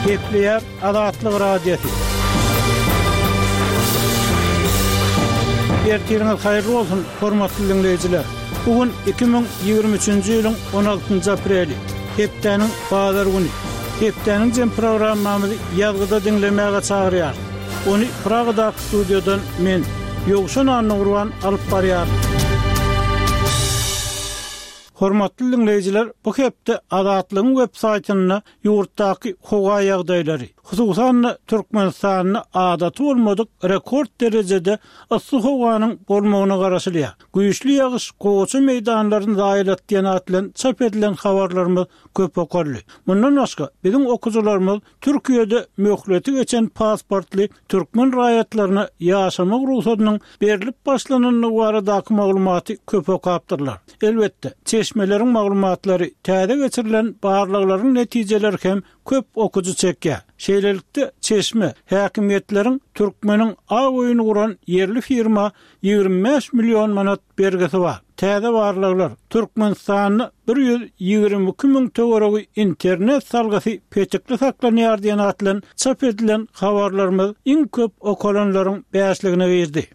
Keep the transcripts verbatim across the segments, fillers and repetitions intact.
Gepleýär Azatlyk Radiosy. Ertiriňiz haýyrly bolsun, hormatly diňleýjiler. Bu gün iki müň ýigrimi üçünji ýylyň on altynjy apreli, hepdäniň bazar güni. Hepdäniň jem programmamyzy ýazgyda diňlemäge çagyrýarys. Ony Pragadaky studiýadan men, Ýowşan Annagurban alyp barýaryn. Hormatly diňleýjiler, bu hepde Azatlygyň web saýtynda ýurtdaky howa ýagdaýlary, hususan-da Türkmenistanda adaty bolmadyk rekord derejede yssy howanyň bolmagyna garaşylýar. Güýçli ýagyş gowaça meýdanlaryny zaýalatdy diýen at bilen çap edilen habarlarymyz köp okaldy. Mundan başga, biziň okyjylarymyz Türkiýede möhleti geçen pasportly türkmen raýatlaryna ýaşamak rugsadynyň berlip başlanandygy baradaky maglumaty köp okapdyrlar. Elbetde, çeşmeleriň maglumatlary, täze geçirilen barlaglaryň netijeleri hem köp okyjy çekýär. Şeýlelikde, çeşme häkimiýetleriň türkmeniň aw oýuny guran ýerli firma ýigrimi bäş million manat bergisi bar. Täze barlaglar Türkmenistanda bir ýüz ýigrimi iki müň töweregi internet salgysy petikli saklanýar diýen at bilen çap edilen habarlarymyz iň köp okalanlaryň bäşligine girdi.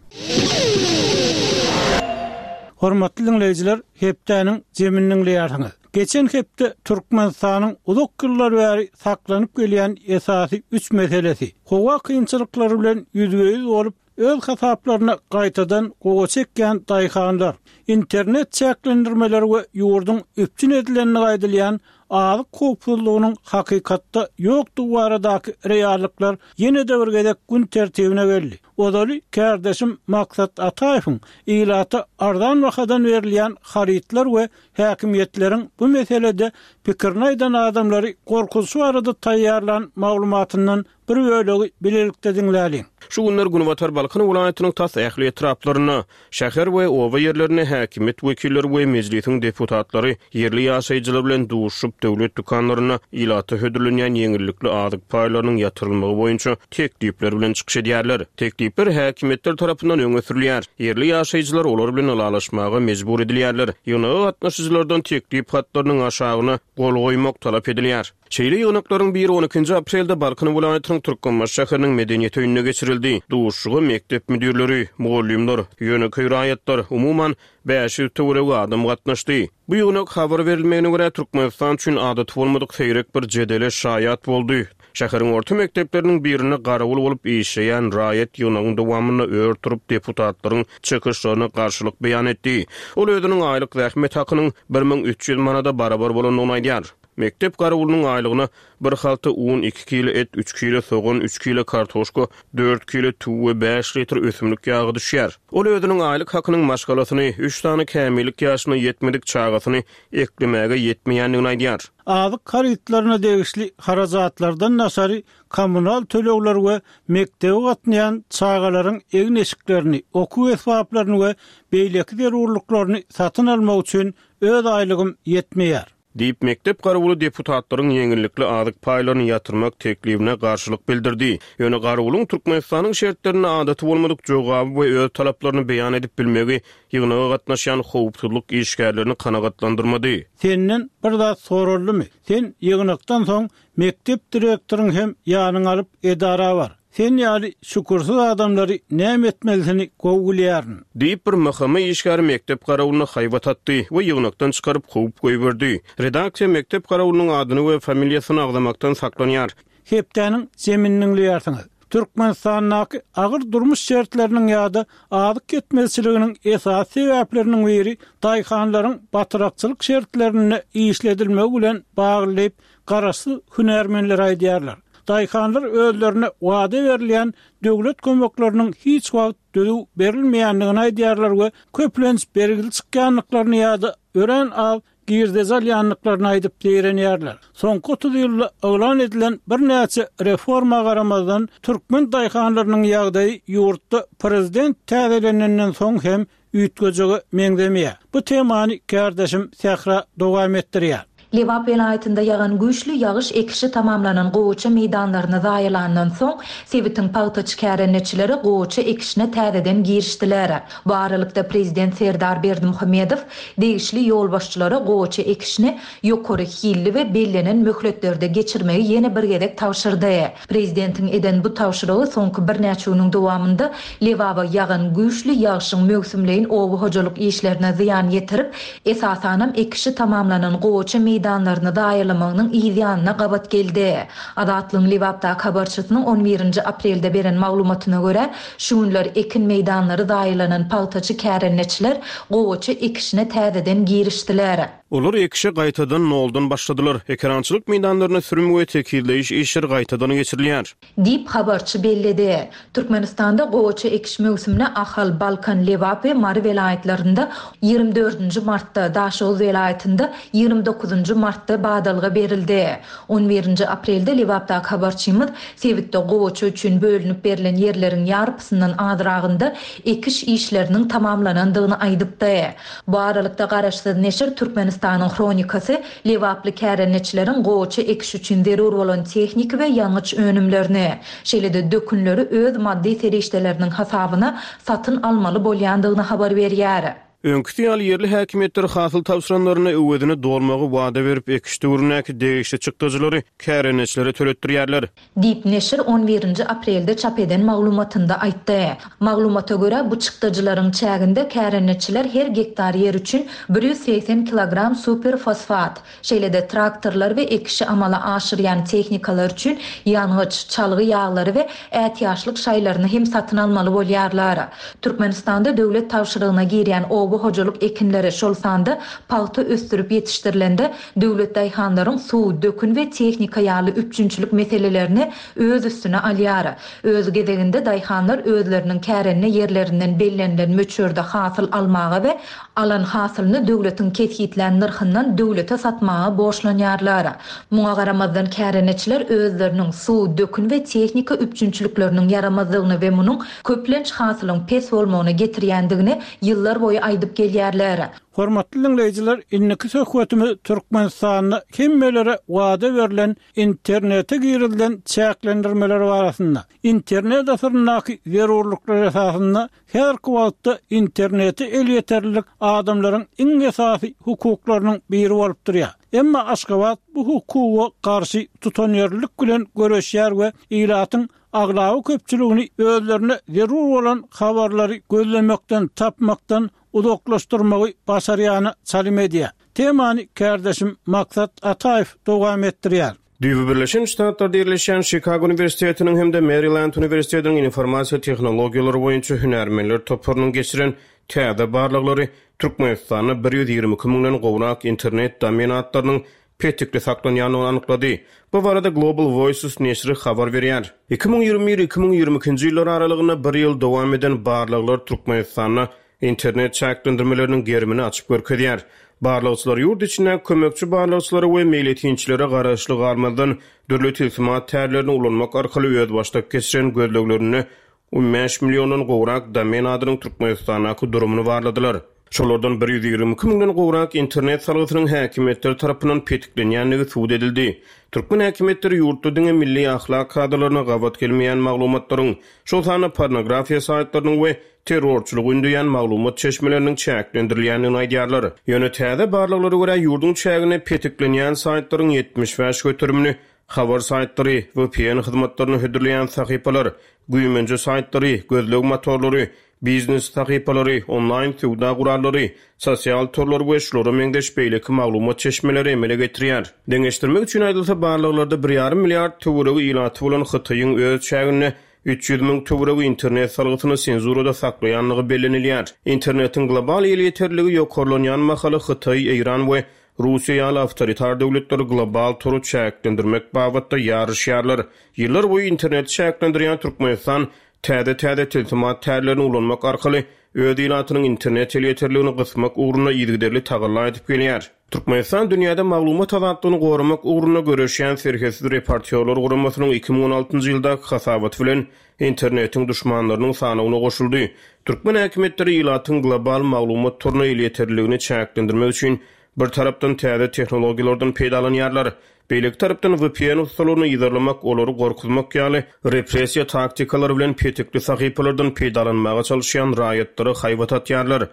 Hormatly diňleýjiler, hepdäniň jemini diňleýärsiňiz. Geçen hepde Türkmenistanyň uzak ýyllar bäri saklanyp gelýän esasy üç meselesi, howa kynçylyklary bilen ýüzbe-ýüz bolup, öz hasaplaryna gaýtadan gowa çekýän daýhanlar, internet çäklendirmeleri we ýurduň üpjün edilenligi aýdylýan azyk howpsuzlygynyň hakykatda ýokdugy baradaky reallyklar ýene-de bir gezek gün tertibine geldi. Ozaly kärdeşim Maksat Ataýewiň ilata arzan bahadan berilýän harytlar we häkimiýetleriň bu meselede pikirini aýdan adamlary gorkuzyjy barada taýýarlan maglumatyndan bir bölegi bilelikde diňläliň. Şu günler Günbatar Balkan welaýatynyň tas ähli etraplarynda, şäher we oba ýerlerinde häkimiýet wekilleri we mejlisiň deputatlary ýerli ýaşaýjylar bilen duşup, döwlet dükanlarynda ilata hödürlenýän ýeňillikli azyk paýlarynyň ýatyrylmagy boýunça teklipler bilen çykyş edýärler. Teklipler häkimiýetler tarapyndan öňe sürülýär. Ýerli ýaşaýjylar olar bilen ylalaşmaga mejbur edilýärler. Ýygnaga gatnaşyjylardan teklip hatlarynyň aşagyna gol goýmak talap edilýär. Şeýle ýygnaklaryň biri on ikinji aprelde Balkan welaýatynyň Türkmenbaşy şäheriniň medeniýet öýünde geçirildi. Duşuşyga mekdep müdirleri, mugallymlar, ýönekeý raýatlar, umuman bäş ýüz töweregi adam gatnaşdy. Bu ýygnak habar berilmegine görä Türkmenistan üçin adaty bolmadyk seýrek bir jedele şaýat boldy. Şäheriň orta mekdepleriniň birinde garawul bolup işleýän raýat ýygnagyň dowamynda ör turup deputatlaryň çykyşlaryna garşylyk beýan etdi. Ol özüniň aýlyk zähmet hakynyň bir müň üç ýüz manada barabar bolandygyny aýdýar. Mekdep garawulynyň aýlygyna bir halta un, iki kilo et, üç kilo sogan, üç kilo kartoşka, dört kilo tüw we bäş litr ösümlik ýagy düşýär. Ol özüniň aýlyk hakynyň maşgalasyny, üç sany kämillik ýaşyna ýetmedik çagasyny eklemäge ýetmeýändigini aýdýar. Azyk harytlaryna degişli harajatlardan daşary kommunal tölegler we mekdebe gatnaýan çagalaryň egin-eşiklerini, okuw esbaplaryny we beýleki zerurlyklaryny satyn almak üçin öz aýlygym ýetmeýär. Diýip, mekdep garawuly deputatlaryň ýeňillikli azyk paýlaryny ýatyrmak teklibine garşylyk bildirdi. Ýöne garawulyň Türkmenistanyň şertlerinde adaty bolmadyk jogaby we öz talaplaryny beýan edip bilmegi ýygnaga gatnaşýan howpsuzlyk işgärlerini kanagatlandyrmady. Senden bir zat soraldymy? Sen ýygnakdan soň mekdep direktoryň hem ýanyňa alyp edara bar. Sen ýaly şükürsiz adamlary näme etmelisini gowy bilýärin. Diýip bir M H M işgäri mekdep garawulyna haýbat atdy we ýygnakdan çykaryp kowup goýberdi. Redaksiýa mekdep garawulynyň adyny we familiýasyny agzamakdan saklanýar. Hepdäniň zemini diňleýärsiňiz. Türkmenistandaky agyr durmuş şertleriniň ýa-da azyk ýetmezçiliginiň esasy sebäpleriniň biri daýhanlaryň batyrakçylyk şertlerinde işledilmegi bilen bagly diýip garaşsyz hünärmenler aýdýarlar. Daýhanlar özlerine wada berilýän döwlet kömekleriniň hiç wagt düzüw berilmeýändigini aýdýarlar we köplenç bergili çykýanlyklaryny ýa-da örän az girdezi alýanlyklaryny aýdyp direnýärler. Soňky otuz ýylda yglan edilen birnäçe reforma garamazdan türkmen daýhanlarynyň ýagdaýy ýurtda prezident täzelenenden soň hem üýtgejege meňzemeýär. Bu temany kärdeşim Sähra dowam etdirýär. Lebap welaýatynda ýagan güýçli ýagyş ekişi tamamlanan gowaça meýdanlaryny zaýalandan soň, sebitiň pagtaçy kärendeçileri gowaça ekişine täzeden girişdiler. Bu aralykda prezident Serdar Berdimuhamedow degişli ýolbaşçylara gowaça ekişini ýokary hilli we bellenen möhletlerde geçirmegi ýene bir gezek tabşyrdy. Prezidentiň eden bu tabşyrygy soňky birnäçe günüň dowamynda Lebaba ýagan güýçli ýagyşyň möwsümleýin oba hojalyk işlerine zyýan ýetirip, esasanam ekişi tamamlanan gowaça meýdanlaryny zaýalamagynyň yz ýanyna gabat geldi. Azatlygyň Lebapdaky habarçysynyň on birinji aprelde beren maglumatyna görä, şu günler ekin meýdanlary zaýalanan pagtaçy kärendeçiler gowaça ekişine täzeden girişdiler. Olar ekişe gaýtadan noldan başladylar. Ekerançylyk meýdanlaryna sürüm we tekizleýiş işleri gaýtadan geçirilýär. Diýip habarçy belledi. Türkmenistanda gowaça ekiş möwsümine Ahal, Balkan, Lebap we Mary welaýatlarynda ýigrimi dördünji martda, Daşoguz welaýatynda ýigrimi dokuzynjy martda badalga berildi. On birinji aprelde Lebapdaky habarçymyz sebitde gowaça üçin bölünip berlen ýerleriň ýarpysyndan azragynda ekiş işleriniň tamamlanandygyny aýdypdy. Bu aralykda garaşsyz neşir Türkmenistanyň hronikasy Lebaply kärendeçileriň gowaça ekiş üçin zerur bolan tehniki we ýangyç önümlerini, şeýle-de dökünleri öz maddy serişdeleriniň hasabyna satyn almaly bolýandygyny habar berýär. Öňküsi ýaly ýerli häkimiýetler hasyl tabşyranlaryna öwezini dolmagy wada berip, ekiş döwründäki degişli çykdajylary kärendeçilere töletdirýärler. Diýip neşir on birinji aprelde çap eden maglumatynda aýtdy. Maglumata görä bu çykdajylaryň çäginde kärendeçiler her gektar ýer üçin bir ýüz segsen kilogram superfosfat, şeýle-de traktorlar we ekişi amala aşyrýan tehnikalar üçin ýangyç, çalgy ýaglary we ätiýaçlyk şaýlaryny hem satyn almaly bolýarlar. Türkmenistanda döwlet tabşyrygyna girýän oba hojalyk ekinleri, şol sanda pagta ösdürip ýetişdirilende döwlet daýhanlaryň suw, dökün we tehnika ýaly üpjünçilik meselelerini öz üstüne alýar. Öz gezeginde daýhanlar özleriniň kärende ýerlerinden bellenilen möçberde hasyl almaga we alan hasylyny döwletiň kesgitlän nyrhyndan döwlete satmaga borçlanýarlar. Muňa garamazdan kärendeçiler özleriniň suw, dökün we tehnika üpjünçilikleriniň ýaramazlygyny we munuň köplenç hasylyň pes bolmagyna getirýändigini ýyllar boýy aýdyp gelýärler. Hormatly dinleýjiler, indiki söhbetimiz Türkmenistanda hemmelere wada berlen internete girilen çäklendirmeler barasynda. Internet asyryndaky zerurlyklar esasynda her wagtda internete elýeterlilik adamlaryň iň esasy hukuklarynyň biri bolup durýar. Emma Aşgabat bu hukuga garşy tutanýerlilik bilen göreşýär we ilatyň aglaby köpçüligini özlerine zerur bolan habarlary gözlemekden, tapmakdan uzaklaşdyrmagy başarýany çalym edýär. Temany kardeşim Maksat Ataýew dowam etdirýär. Düýbi Birleşen Ştatlarda ýerleşýän Chicago Uniwersitetiniň hem-de Maryland Uniwersitetiniň informasiýa tehnologiýalary boýunça hünärmenler toparynyň geçiren täze barlaglary Türkmenistanda bir ýüz ýigrimi iki müňden gowrak internet domen atlarynyň petikli saklanýandygyny anyklady. Bu barada Global Voices neşiri habar berýär. Iki müň ýigrimi bir iki müň ýigrimi ikinji ýyllar aralygynda bir ýyl dowam eden barlaglar Türkmenistanda internet çäklendirmeleriniň gerimini açyp görkezýär. Barlagçylar ýurt içinde kömekçi barlagçylara we meýletinçilere garaşly galmazdan dürli tilsimat tärlerini ulanmak arkaly özbaşdak geçiren gözleglerinde on bäş milliondan gowrak domen adynyň Türkmenistandaky durumyny barladylar. Şolardan bir ýüz ýigrimi iki müňden gowrak internet salgysynyň häkimiýetler tarapyndan petiklenýändigi subut edildi. Türkmen häkimiýetleri ýurtda diňe milli ahlak kadalaryna gabat gelmeýän maglumatlaryň, şol sanda pornografiýa saýtlarynyň we terrorçylygy ündeýän maglumat çeşmeleriniň çäklendirilýändigini aýdýarlar. Ýöne täze barlaglara görä ýurduň çägine petiklenýän saýtlaryň ýetmiş bäş göterimini habar saýtlary, V P N hyzmatlaryny hödürleýän sahypalar, güýmenje saýtlary, gözleg motorlary, biznes sahypalary, onlaýn söwda gurallary, sosial torlar we şulara meňzeş beýleki maglumat çeşmeleri emele getirýär. Deňeşdirmek üçin aýdylsa barlaglarda bir ýarym milliard töweregi ilaty bolan Hytaýyň öz çäginde üç ýüz müň töweregi internet salgysyny senzurada saklaýanlygy bellenilýär. Internetiň global elýeterligi ýokarlanýan mahaly Hytaý, Eýran we Russiýa ýaly awtoritar döwletler global tory çäklendirmek babatda ýaryşýarlar. Ýyllar boýy internet çäklendirýän Türkmenistan täze-täze tilsimat tärlerini ulanmak arkaly öz ilatynyň internet elýeterligini gysmak ugrunda yzygiderli tagalla edip gelýär. Türkmenistan dünýäde maglumat azatlygyny goramak ugrunda göreşýän Serhetsiz reportýorlar guramasynyň iki müň on altynjy ýyldaky hasabaty bilen internetiň düşmanlarynyň sanawyna goşuldy. Türkmen häkimiýetleri ilatyň global maglumat toruna elýeterligini çäklendirmek üçin Bir tarapdan täze tehnologiýalardan peýdalanýarlar. Beýleki tarapdan V P N ussalaryny yzarlamak, olary gorkuzmak ýaly repressiýa taktikalary bilen petikli sahypalardan peýdalanmaga çalışýan raýatlara haýbat atýarlar.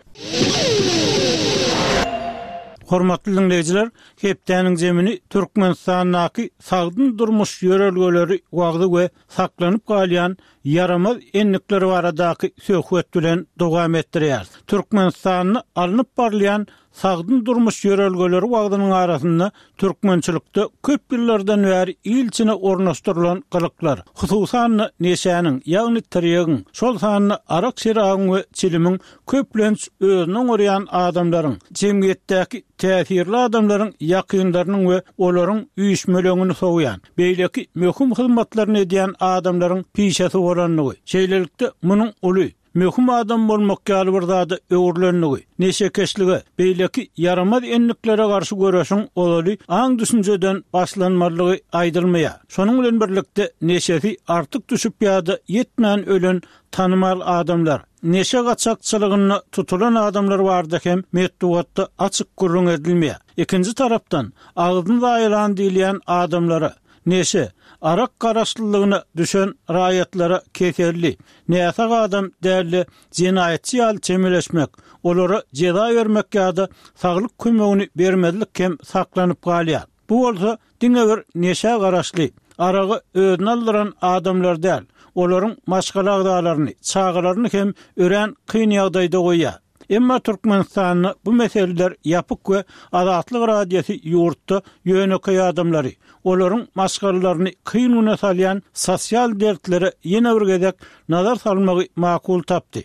Hormatly dinleýjiler, hepdäniň zemini Türkmenistandaky sagdyn durmuş ýörelgeleri wagzy we saklanyp galýan ýaramaz endikler baradaky söhbet bilen dowam etdirýär. Türkmenistanda alnyp barylýan sagdyn durmuş ýörelgeleri wagzynyň arasynda türkmençilikde köp ýyllardan bäri il içine ornaşdyrylan gylyklar, hususan neşäniň, ýagny tirýegiň, şol sanda arak şerabyň we çilimiň köplenç özüne oňarýan adamlaryň, jemgyýetdäki täsirli adamlaryň ýakynlarynyň we olaryň üýşmeleňini sowýan, beýleki möhüm hyzmatlaryny edýän adamlaryň pişesi bolandygy, şeýlelikde munuň uly möhüm adam bolmak ýaly bir zada öwrülendigi, neşekeşlige, beýleki ýaramaz endiklere garşy göreşiň ozaly aň düşünjeden başlanmalygy aýdylmaýar. Şonuň bilen birlikde neşesi artyk düşüp ýa-da ýetmän ölen tanymal adamlar, neşe gaçakçylygynda tutulan adamlar barada hem metbugatda açyk gürrüň edilmeýär. Ikinji tarapdan agzyn zaýalan diýilýän adamlara neşe, arak garaşlylygyna düşen raýatlara keserli, näsag adam däli jenaýatçy ýaly çemeleşmek, olara jeza bermek ýa-da saglyk kömegini bermezlik hem saklanyp galýar. Bu bolsa diňe bir neşä garaşly, aragy özüne aldyran adamlar däl, olaryň maşgala agzalaryny, çagalaryny hem örän kyn ýagdaýda goýýar. Emma Türkmenistanda bu meseleler ýapyk we Azatlyk Radiosy ýurtda ýönekeý adamlary, olaryň maşgalalaryny kyn güne salýan sosial dertlere ýene bir gezek nazar salmagy makul tapdy.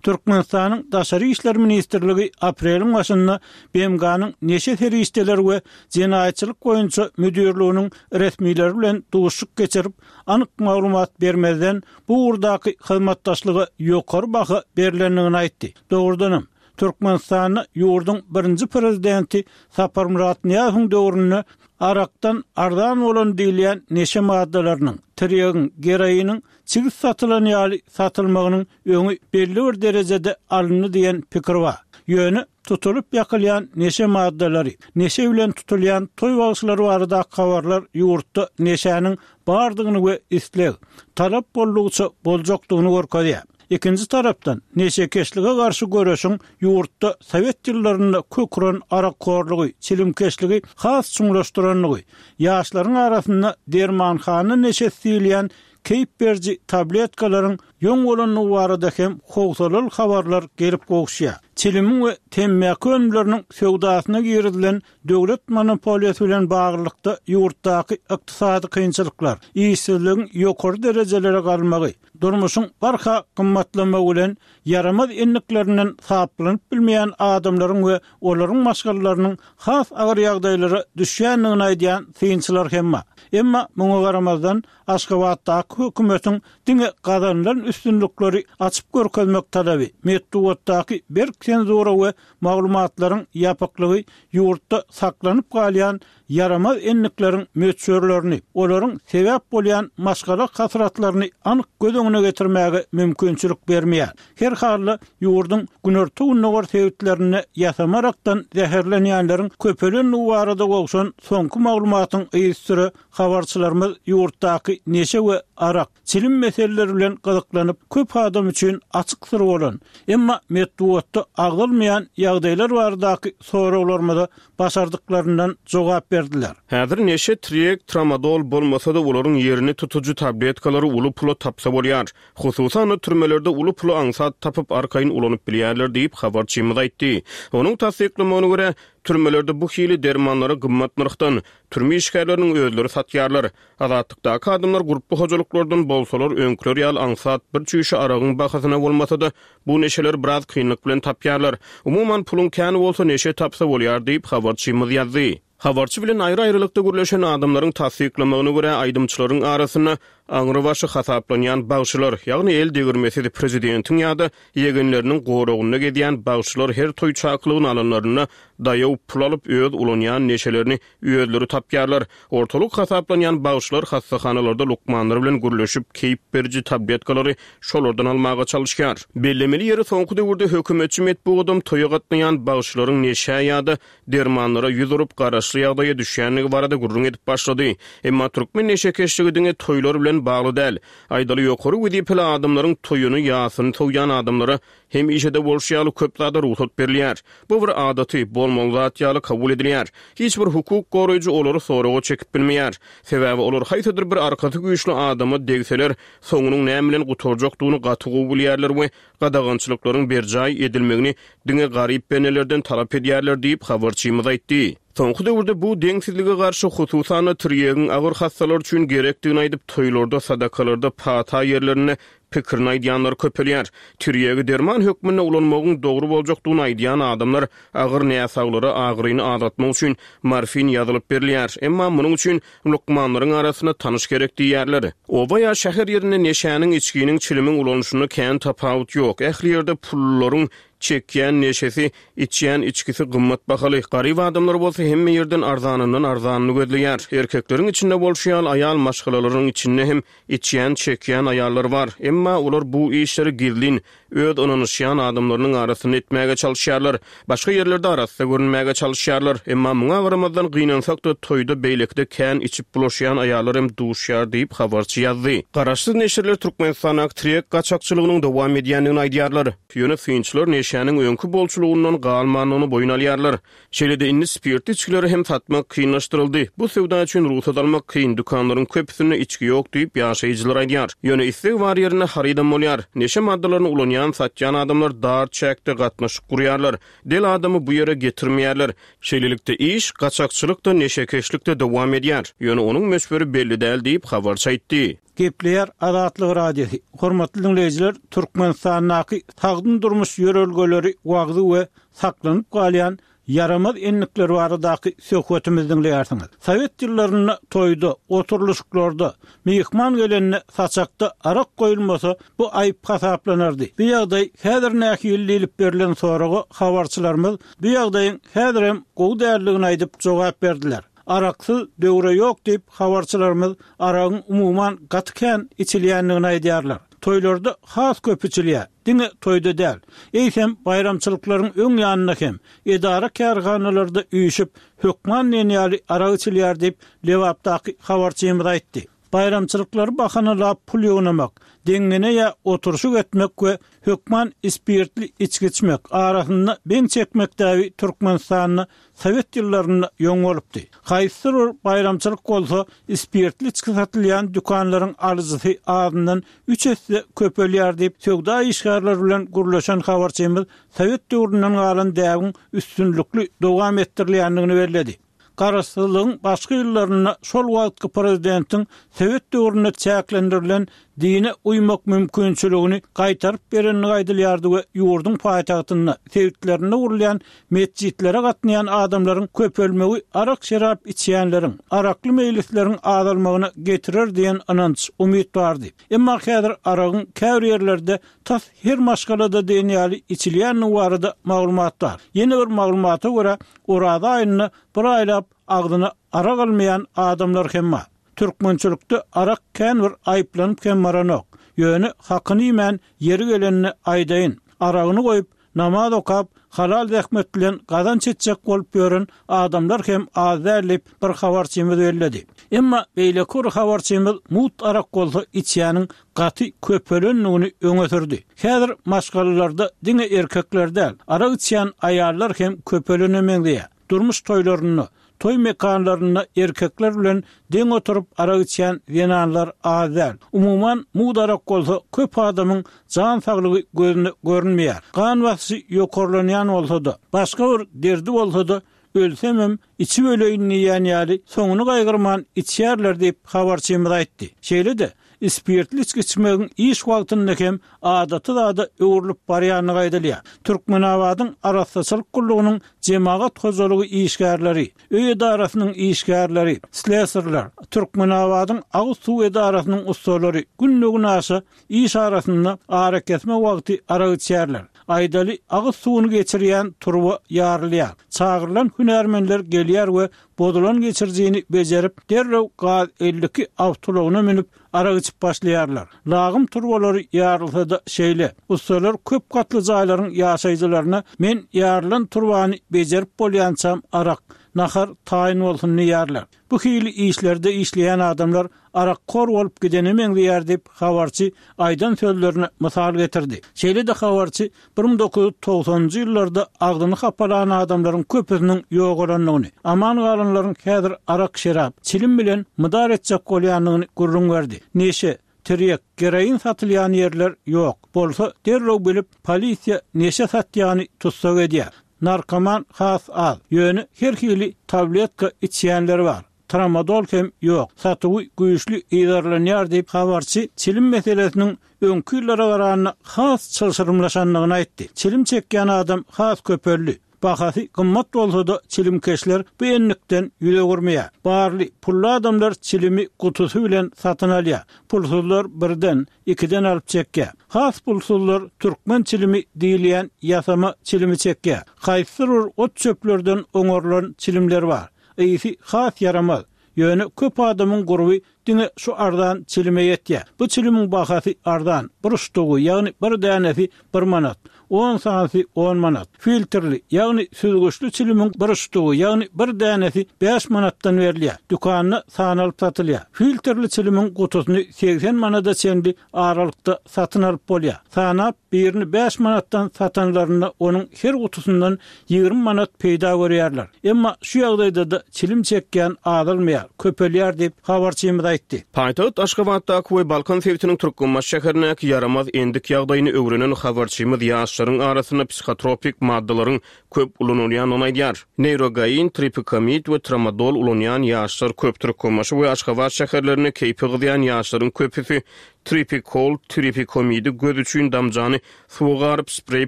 Türkmenistanyň Daşary İşler Ministrligi apreliň başynda B M G-nyň neşe serişdeleri we jenaýatçylyk boýunça müdirliginiň resmileri bilen duşuşyk geçirip, anyk maglumat bermezden bu ugurdaky hyzmatdaşlyga ýokary baha berilendigini aýtdy. Dogrudanam Türkmenistanda ýurduň birinji prezidenti Saparmyrat Nyýazowyň döwründe arakdan arzan bolan diýilýän neşe maddalarynyň, tirýegiň, geroiniň çigit satylan ýaly satylmagynyň öňi belli bir derejede alyndy diýen pikir bar. Ýöne tutulyp ýakylýan neşe maddalary, neşe bilen tutulýan toý bagşylary barada habarlar ýurtda neşäniň bardygyny we isleg, talap boldugyça boljakdygyny görkezýär. Ikinji tarapdan neşekeşlige garşy göreşiň ýurtda Sowet ýyllarynda kök uran arakkorlygy, çilimkeşligi has çuňlaşdyranlygy, ýaşlaryň arasynda dermanhana neşesi diýilýän keýp beriji tabletkalaryň ýoň bolandygy barada hem howsalaly habarlar gelip gowuşýar. Çilimiň we temmäki önümleriniň söwdasyna girizilen döwlet monopoliýasy bilen baglylykda ýurtdaky ykdysady kynçylyklar, işsizligiň ýokary derejelere galmagy, durmuşyň barha gymmatlamagy bilen ýaramaz endiklerinden saplanyp bilmeýän adamlaryň we olaryň maşgalalarynyň has agyr ýagdaýlara düşýändigini aýdýan synçylar hem bar. Emma muňa garamazdan Aşgabatdaky hökümetiň diňe gazanylan üstünlikleri açyp görkezmek talaby, metbugatdaky berk senzura we maglumatlaryň ýapyklygy ýurtda saklanyp galýan ýaramaz endikleriň möçberlerini, olaryň sebäp bolýan maşgala hasratlaryny anyk göz öňüne getirmäge mümkinçilik bermeýär. Her halda ýurduň günorta gündogar sebitlerinde ýasama arakdan zäherlenýänleriň köpelendigi barada gowşan soňky maglumatyň yzysüre habarçylarymyz ýurtdaky neşe we arak, çilim meseleleri bilen gyzyklanyp, köp adam üçin açyk syr bolan, emma metbugatda agzalmaýan ýagdaýlar baradaky soraglarymyza başardyklaryndan jogap berdiler. Häzir neşe, tirýek, tramadol bolmasa-da olaryň ýerini tutujy tabletkalary uly pula tapsa bolýar. Hususan türmelerde uly pula aňsat tapyp arkaýyn ulanyp bilýärler diýip habarçymyz aýtdy. Onuň tassyklamagyna görä, türmelerde bu hili dermanlary gymmat nyrhdan türme işgärleriniň özleri satýarlar. Azatlykdaky adamlar gurply hojalyklardan bolsalar öňküler ýaly aňsat bir çüýşe aragyň bahasyna bolmasa-da bu neşeler biraz kynlyk bilen tapýarlar. Umuman puluň käni bolsa neşe tapsa bolýar diýip habarçymyz ýazdy. Habarçy bilen aýry-aýrylykda gürleşen adamlaryň tassyklamagyna görä aýdymçylaryň arasynda aňrybaşy hasaplanýan bagşylar, ýagny el degirmesiz prezidentiň ýa-da ýegenleriniň goragynda gezýän bagşylar her toý çakylygyny alanlarynda daýaw pul alyp, öz ulanýan neşelerini özleri tapýarlar. Ortalyk hasaplanýan bagşylar hassahanalarda lukmanlar bilen gürleşip, keýp beriji tabletkalary şolardan almaga çalyşýar. Bellemeli ýeri, soňky döwürde hökümetçi metbugadam toýa gatnaýan bagşylaryň neşä ýa-da dermanlara ýüz urup, garaşly ýagdaýa düşýändigi barada gürrüň edip başlady. Emma türkmen neşekeşligi diňe toýlar bilen bagly däl. Aýdaly, ýokary wezipeli adamlaryň toýuny, ýasyny sowýan adamlara hemişe-de bolşy ýaly köp zada rugsat berilýär. Bu bir adaty, bolmaly zat ýaly kabul edilýär. Hiç bir hukuk goraýjy olary soraga çekip bilmeýär. Sebäbi olar haýsydyr bir arkasy güýçli adama degseler, soňunyň näme bilen gutarjakdygyny gaty gowy bilýärler we gadagançylyklaryň berjaý edilmegini diňe garyp bendelerden talap edýärler diýip, habarçymyz aýtdy. Soňky döwürde bu deňsizlige garşy, hususan-da, tirýegiň agyr hassalar üçin gerekdigini aýdyp, toýlarda, sadakalarda, pata ýerlerinde pikirini aýdýanlar köpelýär. Tirýegi derman hökmünde ulanmagyň dogry boljakdygyny aýdýan adamlar agyr näsaglara agyryny azaltmak üçin morfin ýazylyp berilýär. Emma munuň üçin lukmanlaryň arasynda tanyş gerek diýýärler. Oba ýa şäher ýerinde neşäniň, içginiň, çilimiň ulanyşynda kän tapawut ýok. Ähli ýerde pullularyň çekýän neşesi, içýän içgisi gymmat bahaly. Garyp adamlar bolsa hemme ýerden arzanyndan arzanyny gözleýär. Erkekleriň içinde bolşy ýaly aýal maşgalalaryň içinde hem içýän, çekýän aýallar bar. Emma olar bu işleri gizlin, öz ynanyşýan adamlarynyň arasynda etmäge çalyşýarlar. Başga ýerlerde arassa görünmäge çalyşýarlar. Emma muňa garamazdan gynansak-da toýda beýlekide kän içip bulaşýan aýallar hem duşýar diýip habarçy ýazdy. Garaşsyz neşirler Türkmenistandaky tirýek gaçakçylygynyň dowam edýändigini aýdýarlar. Ýöne synçylar neşäniň öňki bolçulygyndan galmandygyny boýun alýarlar. Şeýle-de indi spirtli içgileri hem satmak kynlaşdyryldy. Bu söwda üçin rugsat almak kyn, dükanlaryň köpüsinde içgi ýok diýip, ýaşaýjylar aýdýar. Ýöne isleg bar ýerinde harydam bolýar. Neşe maddalaryny ulanýan, satýan adamlar dar çäkde gatnaşyk gurýarlar. Del adamy bu ýere getirmeýärler. Şeýlelikde, iş gaçakçylyk-da, neşekeşlik-de dowam edýär. Ýöne onuň möçberi belli däl diýip, habarçy aýtdy. Gepleýär Azatlyk Radiosy. Hormatly diňleýjiler, Türkmenistandaky sagdyn durmuş ýörelgeleri wagzy we saklanyp galýan ýaramaz endikler baradaky söhbetimizi diňleýärsiňiz. Sowet ýyllarynda toýda, oturylyşyklarda, myhman gelende saçakda arak goýulmasa, bu aýyp hasaplanardy. Bu ýagdaý häzir nähili diýlip berlen soraga habarçylarymyz bu ýagdaýyň häzirem gowy däldigini aýdyp jogap berdiler. Araksyz döwre ýok diýip, habarçylarymyz aragyň umuman gaty kän içilýändigini aýdýarlar. Toýlarda has köp içilýär. Diňe toýda däl, eýsem baýramçylyklaryň öň ýanynda hem edara-kärhanalarda üýşüp, hökman diýen ýaly arak içilýär diýip, Lebapdaky habarçymyz aýtdy. Baýramçylyklary bahanalap pul ýygnamak, deňňene ýa oturyşyk etmek we hökman ispirtli içgi içmek, arasynda beň çekmek däbi Türkmenistanda sowet ýyllarynda ýoň bolupdy. Haýsydyr bir baýramçylyk bolsa, ispirtli içgi satylýan dükanlaryň alyjysy azyndan üç esse köpelýär diýip, söwda işgärleri bilen gürleşen habarçymyz sowet döwründen galan däbiň üstünlikli dowam etdirilýändigini belledi. Garaşsyzlygyň başky ýyllarynda şol wagtky prezidentiň sowet döwründe çäklendirilen dine uýmak mümkinçiligini gaýtaryp berendigi aýdylýardy we ýurduň paýtagtynda, sebitlerinde gurulýan metjitlere gatnaýan adamlaryň köpelmegi arak-şerap içýänleriň, arakly meýlisleriň azalmagyna getirer diýen ynanç, umyt bardy. Emma häzir aragyň käbir ýerlerde tas her maşgalada diýen ýaly içilýändigi barada maglumat bar. Ýene bir maglumata görä, Oraza aýynda bir aýlap agzyna arak almaýan adamlar hem bar. Türkmençilikde arak kän bir aýyplanyp hem baranok. Ýöne hakyny iýmän ýeri gelende aýdaýyn, aragyny goýup, namaz okap, halal zähmet bilen gazanç etjek bolup ýören adamlar hem az däl diýip, bir habarçymyz belledi. Emma beýleki bir habarçymyz mugt arak bolsa içýäniň gaty köpelendigini öňe sürdi. Häzir maşgalalarda diňe erkekler däl, arak içýän aýallar hem köpelene meňzeýär. Durmuş toýlarynda, toý mekanlarynda erkekler bilen deň oturyp arak içýän zenanlar az däl. Umuman, mugt arak bolsa köp adamyň jan saglygy gözüne görünmeýär. Gan basyşy ýokarlanýan bolsa-da, başga bir derdi bolsa-da, ölsemem içip öleýin diýýän ýaly soňuny gaýgyrman içýärler diýip, habarçymyz aýtdy. Şeýle-de, Spirtli içgi içmegiň iş wagtynda hem adaty zada öwrülip barýandygy aýdylýar. Türkmenabadyň arassaçylyk gullugynyň jemagat hojalygy işgärleri, öý edarasynyň işgärleri, slesarlar, Türkmenabadyň agyz suw edarasynyň ussalary günde-günaşa iş arasynda arakesme wagty arak içýärler. Aýdaly, agyz suwuny geçirýän turba ýarylýar. Çagyrylan hünärmenler gelýär we bozulan geçirijini bejerip, derrew gaz elli iki awtoulagyna münüp, arak içip başlaýarlar. Lagym turbalary ýarylsa-da şeýle. Ussalar köp gatly jaýlaryň ýaşaýjylaryna men ýarylan turbany bejerip bolýançam arak, nahar taýyn bolsun diýýärler. Bu hili işlerde işleýän adamlar arakkor bolup gidene meňzeýär diýip, habarçy aýdan sözlerine mysal getirdi. Şeýle-de habarçy bir müň dokuz ýüz togsanynjy ýyllarda agzyny hapalan adamlaryň köpüsiniň ýogalandygyny, aman galanlaryň häzir arak şerap, çilim bilen mydar etjek bolýandygyny gürrüň berdi. Neşe, tirýek, geroin satylýan ýerler ýok. Bolsa derrew bilip, polisiýa neşe satýany tussag edýär. Narkoman has az, ýöne her hili tabletka içýänler bar. Tramadol hem ýok. Satuwy güýçli yzarlanýar diýip, habarçy çilim meselesiniň öňki ýyllara garanda has çylşyrymlaşandygyny aýtdy. Çilim çekýän adam has köpeldi. Bahasy gymmat bolsa-da çilimkeşler bu enlikden ýüz öwürmeýär. Barly pully adamlar çilimi gutusy bilen satyn alýar. Pulsuzlar birden, ikiden alyp çekýär. Has pulsuzlar türkmen çilimi diýilýän ýasama çilimi çekýär. Haýsydyr bir ot çöplerden oňarylan çilimler bar. Ysy has ýaramaz. Ýöne köp adamyň gurby diňe şu arzan çilime ýetýär. Bu çilimiň bahasy arzan, bir ştugy, ýagny bir dänesi bir manat, on sanysy on manat. Filtrli, ýagny süzgüçli çilimiň bir ştugy, ýagny bir dänesi bäş manatdan berilýär. Dükanda sanalyp satylýar. Filtrli çilimiň gutusyny segsen manada çenli aralykda satyn alyp bolýar. Sanap birini bäş manatdan satanlarynda onuň her gutusyndan ýigrimi manat peýda görýärler. Emma şu ýagdaýda-da çilim çekýän azalmaýar, köpelýär diýip habarçymyz aýtdy. Paýtagt Aşgabatdaky we Balkan sebitiniň Türkmenbaşy şäherindäki ýaramaz endik ýagdaýyny öwrenen habarçymyz ýaşlaryň arasynda psihotropik maddalaryň köp ulanylýandygyny aýdýar. Neýrogain, tripikamid we tramadol ulanýan ýaşlar köp. Türkmenbaşy we Aşgabat şäherlerinde keýpi gyzýan ýaşlaryň köpüsi tripikol, tripikomidi göz üçin damjany suwa garyp spreý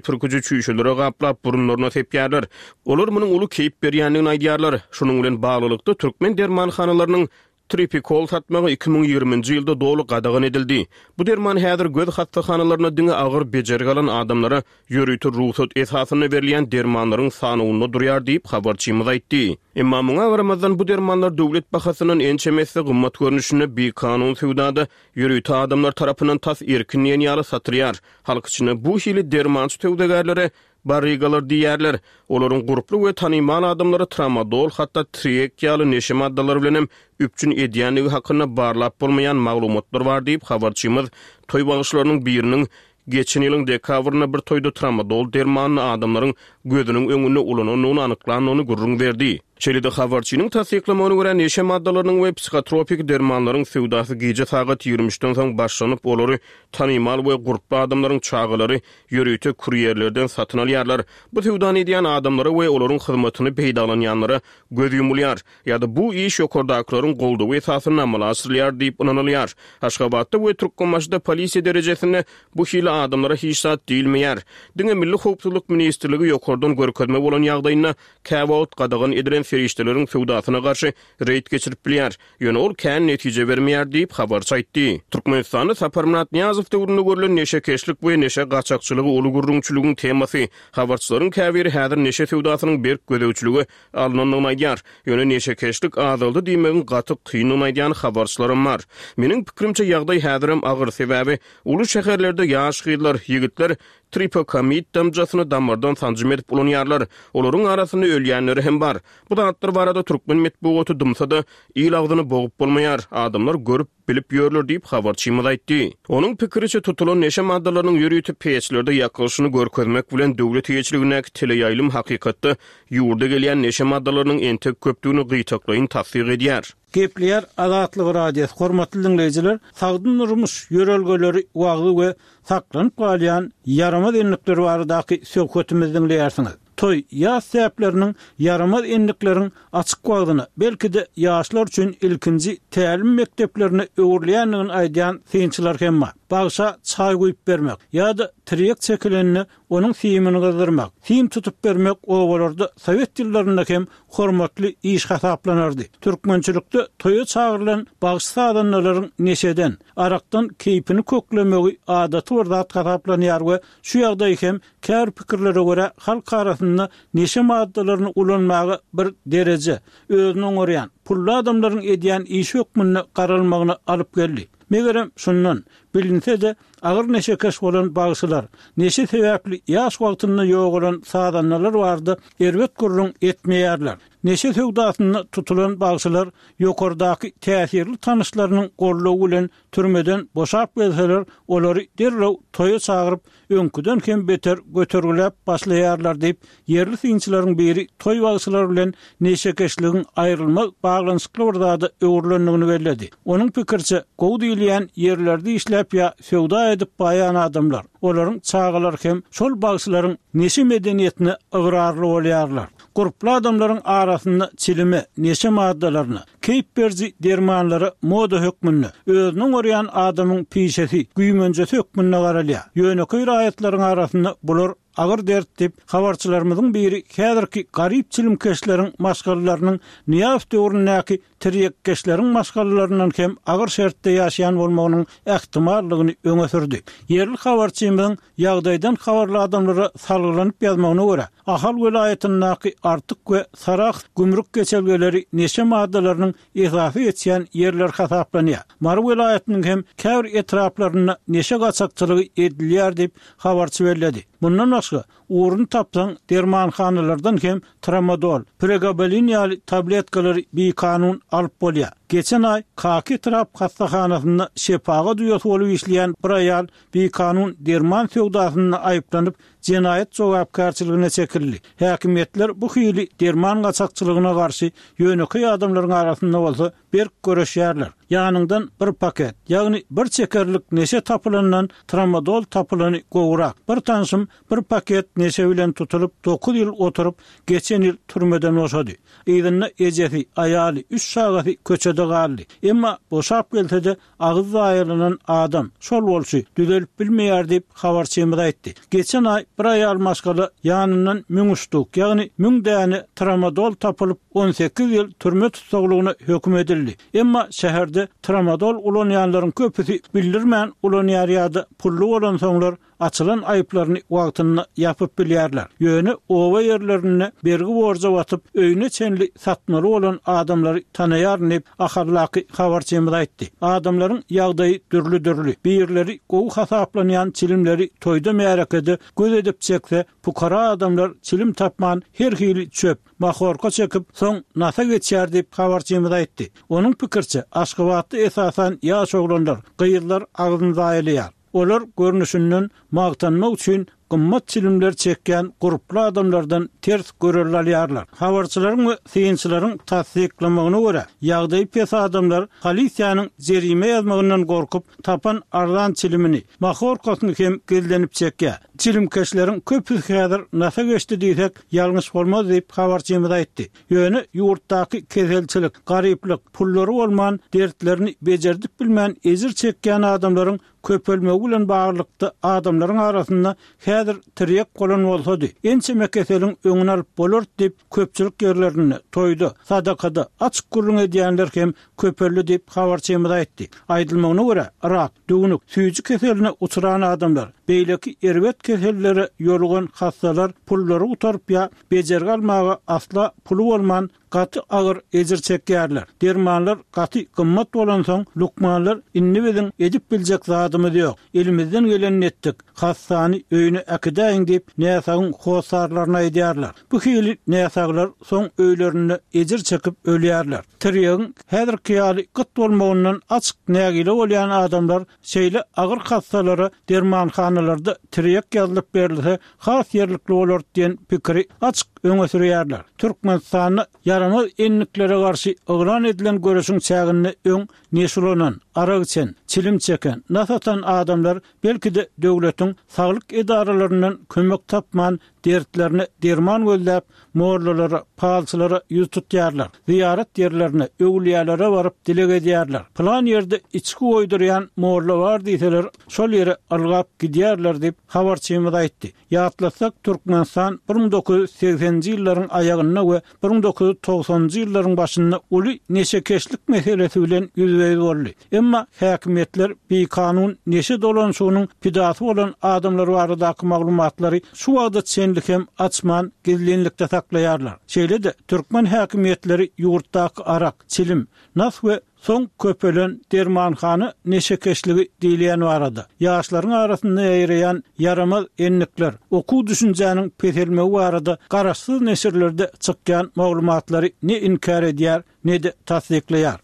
pürküji çüýşelere gaplap burunlaryna sepýärler. Olar munuň uly keýp berýändigini aýdýarlar. Şunuň bilen baglylykda türkmen dermanhanalarynyň tripikol satmagy iki müň ýigriminji ýylda doly gadagan edildi. Bu derman häzir göz hassahanalaryna diňe agyr bejergi alan adamlara ýörite rugsat esasynda berilýän dermanlaryň sanawynda durýar diýip habarçymyz aýtdy. Emma muňa garamazdan bu dermanlar döwlet bahasyndan ençeme esse gymmat görnüşinde bikanun söwdada ýörite adamlar tarapyndan tas erkin diýen ýaly satylýar. Halk içinde bu hili dermançy söwdagärlere barrigalar diýerler. Olaryň gurply we tanymal adamlary tramadol, hatda triek ýaly neşe maddalary bilen hem üpjün edýändigi hakynda barlap bolmaýan maglumatlar bar diýip habarçymyz toý bagşylarynyň biriniň geçen ýylyň dekabrynda bir toýda tramadol dermanyny adamlaryň gözüniň öňünde ulanandygyny anyklandygyny gürrüň berdi. Şeýle-de habarçynyň tassyklamagyna görä neşe maddalarynyň we psihotropik dermanlaryň söwdasy gije sagat ýigrimi üçden soň başlanyp, olary tanymal we gurply adamlaryň çagalary ýörite kurýerlerden satyn alýarlar. Bu söwdany edýän adamlara we olaryň hyzmatyny peýdalanýanlara göz ýumulýar ýa-da bu iş ýokardakylaryň goldawy esasynda amala aşyrylýar diýip ynanylýar. Aşgabatda we Türkmenbaşyda polisiýa derejesinde bu hili adamlara hiç zat diýilmeýär. Diňe Milli Howpsuzlyk Ministrligi ýokardan görkezme bolan ýagdaýynda käwagt gadagan edilen serişdeleriň söwdasyna garşy reýd geçirip bilýär. Ýöne ol kän netije bermeýär diýip habarçy aýtdy. Türkmenistanda Saparmyrat Nyýazow döwründe görülen neşekeşlik we neşe gaçakçylygy uly gürrüňçiligiň temasy. Habarçylaryň käbiri häzir neşe söwdasynyň berk gözegçilige alynandygyny aýdýar. Ýöne neşekeşlik azaldy diýmegiň gaty kyndygyny aýdýan habarçylarym bar. Meniň pikrimçe ýagdaý häzirem agyr, sebäbi uly şäherlerde ýaş gyzlar, ýigitler tripokamid damjasyny damardan sanjym edip ulanýarlar. Olaryň arasynda ölýänleri hem bar. Bu zatlar barada türkmen metbugaty dymsa-da il agzyny bogup bolmaýar. Adamlar görüp bilip ýörler diýip habarçymyz aýtdy. Onuň pikiriçe tutulan neşe maddalarynyň ýörite peçlerde ýakylyşyny görkezmek bilen döwlet eýeçiligindäki teleýaýlym hakykatda ýurda gelýän neşe maddalarynyň entek köpdügini gyýtaklaýyn tassyk edýär. Gepleýär Azatlyk Radiosy hormatly dinleýjiler, sagdyn durmuş ýörelgeleri wagzy we saklanyp galýan ýaramaz enlikler baradaky söhbetimizi dinleýärsiňiz. Toý, ýas däpleriniň ýaramaz endikleriň açyk wagzyna, belki-de ýaşlar üçin ilkinji tälim mekdeplerine öwrülýändigini aýdýan synçylar hem bar. Bagşa çaý guýup bermek ýa-da tirýek çekilenine onuň simini gyzdyrmak, sim tutup bermek obalarda sowet ýyllarynda hem hormatly iş hasaplanardy. Türkmençilikde toýa çagyrylan bagşy-sazandalaryň neşeden, arakdan keýpini köklemegi adaty bir zat hasaplanýar we şu ýagdaý hem käbir pikirlere görä halk arasynda neşe maddalaryny ulanmaga bir dereje, özüni oňarýan, pully adamlaryň edýän işi hökmünde garalmagyna alyp geldi. Megerem şundan, bilinse-de agyr neşekeş bolan bagşylar, neşe sebäpli ýaş wagtynda ýogalan sazandalar barada erbet gürrüň etmeýärler. Neşe söwdasynda tutulan bagşylar ýokardaky täsirli tanyşlarynyň goldawy bilen türmeden boşap gelseler, olary derrew toýa çagyryp, öňküden hem beter götergiläp başlaýarlar diýip, ýerli synçylaryň biri toý bagşylary bilen neşekeşligiň aýrylmaz baglanyşykly bir zada öwrülendigini belledi. Onuň pikiriçe, gowy diýilýän ýerlerde işläp ýa söwda edip baýan adamlar, olaryň çagalary hem şol bagşylaryň neşe medeniýetine ygrarly bolýarlar. Gurply adamlaryň arasynda çilime, neşe maddalaryna, keýp beriji dermanlara moda hökmünde, özüni oňarýan adamyň pişesi, güýmenjesi hökmünde garalýar. Ýönekeý raýatlaryň arasynda bular agyr dert diýip, habarçylarymyzyň biri häzirki garyp çilimkeşleriň maşgalalarynyň Nyýazow döwründäki tirýekkeşleriň maşgalalaryndan hem agyr şertde ýaşaýan bolmagynyň ähtimallygyny öňe sürdi. Ýerli habarçymyzyň ýagdaýdan habarly adamlara salgylanyp ýazmagyna görä, Ahal welaýatyndaky Artyk we Sarahs gümrük geçelgeleri neşe maddalarynyň esasy geçýän ýerleri hasaplanýar. Mary welaýatynyň hem käbir etraplarynda neşe gaçakçylygy edilýär diýip, habarçy belledi. Mundan başga, ugruny tapsaň, dermanhanalardan hem tramadol, pregabalin ýaly tabletkalary bikanun alyp bolýar. Geçen aý Kaka etrap hassahanasynda şepagat uýasy bolup işleýän bir aýal bikanun derman söwdasynda aýyplanyp, jenaýat jogapkärçiligine çekildi. Häkimiýetler bu hili derman gaçakçylygyna garşy ýönekeý adamlaryň arasynda bolsa berk göreşýärler. Ýanyňdan bir paket, ýagny bir çekerlik neşe tapylandan tramadol tapylany gowurak. Bir tanşym bir paket neşe bilen tutulyp, dokuz ýyl oturyp, geçen ýyl türmeden boşady. Yzynda ejesi, aýaly, üç çagasy köçede galdy. Emma boşap gelse-de agyz zaýalanan adam, şol bolşy, düzelip bilmeýär diýip, habarçymyz aýtdy. Geçen aý bir aýal maşgala ýanyndan müň ştuk, ýagny müň däne tramadol tapylyp, on sekiz ýyl türme tussaglygyna höküm edildi. Emma şäherde tramadol ulanýanlaryň köpüsi bildirmän ulanýar ýa-da pully bolansoňlar açylan aýyplaryny wagtynda ýapyp bilýärler. Ýöne oba ýerlerinde bergi borja batyp, öýüne çenli satmaly bolan adamlary tanaýaryn diýip, Ahallaky habarçymyz aýtdy. Adamlaryň ýagdaýy dürli-dürli. Birleri gowy hasaplanýan çilimleri toýda märekede göz edip çekse, pukara adamlar çilim tapman her hili çöp, mahorka çekip, soň nasa geçýär diýip, habarçymyz aýtdy. Onuň pikiriçe, Aşgabatda esasan ýaş oglanlar, gyzlar agzyny zaýalaýar. Olar görnüşinden magtanmak üçin gymmat çilimler çekýän gurply adamlardan ters görelde alýarlar. Habarçylaryň we synçylaryň tassyklamagyna görä, ýagdaýy pes adamlar polisiýanyň jerime ýazmagyndan gorkup, tapan arzan çilimini, mahorkasyny hem gizlenip çekýär. Çilimkeşleriň köpüsi häzir nasa geçdi diýsek, ýalňyş bolmaz diýip, habarçymyz aýtdy. Ýöne ýurtdaky keselçilik, garyplyk, pullary bolman, dertlerini becerdip bilmän ejir çekýän adamlaryň köpelmegi bilen baglylykda adamlaryň arasynda häzir tirýek bolan bolsady, ençeme keseliň öňüni alyp bolardy diýip, köpçülik ýerlerinde, toýda, sadakada açyk gürrüň edýänler hem köpeldi diýip, habarçymyz aýtdy. Aýdylmagyna görä, rak, düwnük, süýji keseline uçran adamlar, beýleki erbet kesellere ýolugan hassalar pullary gutaryp ýa bejergi almaga asla puly bolman gaty agyr ejir çekýärler. Dermanlar gaty gymmat bolansoň, lukmanlar indi biziň edip biljek zadymyz ýok, elimizden gelenini etdik, hassany öýüne äkidäýiň diýip, näsagyň hossarlaryna aýdýarlar. Bu hili näsaglar soň öýlerinde ejir çekip ölýärler. Tirýegiň häzirki ýaly gyt bolmagyndan açyk nägile bolýan adamlar şeýle agyr hassalara dermanhanalarda tirýek ýazylyp berilse has ýerlikli bolar diýen pikiri açyk öňe sürýärler. Türkmenistanda ýaramaz endiklere garşy yglan edilen göreşiň çäginde öň neşe ulanan, arak içen, çilim çeken, nas atan adamlar belki-de döwletiň saglyk edaralaryndan kömek tapman Dertlerine derman gözläp, mollalara, palçylara ýüz tutýarlar. Zyýarat ýerlerine, öwlüýälere baryp dileg edýärler. Pylan ýerde içgi goýdurýan molla bar diýseler, şol ýere ylgap gidýärler diýip, habarçymyz aýtdy. Ýatlatsak, Türkmenistan bir müň dokuz ýüz segseninji ýyllaryň aýagynda we bir müň dokuz ýüz togsanynjy ýyllaryň başynda uly neşekeşlik meselesi bilen ýüzbe-ýüz boldy. Emma häkimiýetler bikanun neşe dolanyşygynyň pidasy bolan adamlar baradaky maglumatlary şu wagta çenli hem açman, gizlinlikde saklaýarlar. Şeýle-de, türkmen häkimiýetleri ýurtdaky arak, çilim, nas we soň köpelen dermanhana neşekeşligi diýilýän barada, ýaşlaryň arasynda ýaýraýan ýaramaz endikler, okuw düşünjäniň peselmegi barada garaşsyz neşirlerde çykýan maglumatlary ne inkär edýär, ne-de tassyklaýar.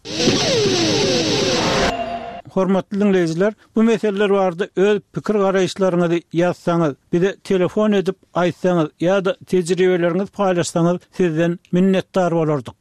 Hormatly diňleýjiler, bu meseleler barada öz pikir-garaýyşlaryňyzy ýazsaňyz, bize telefon edip aýtsaňyz ýa-da tejribeleriňizi paýlaşsaňyz sizden minnetdar bolardyk.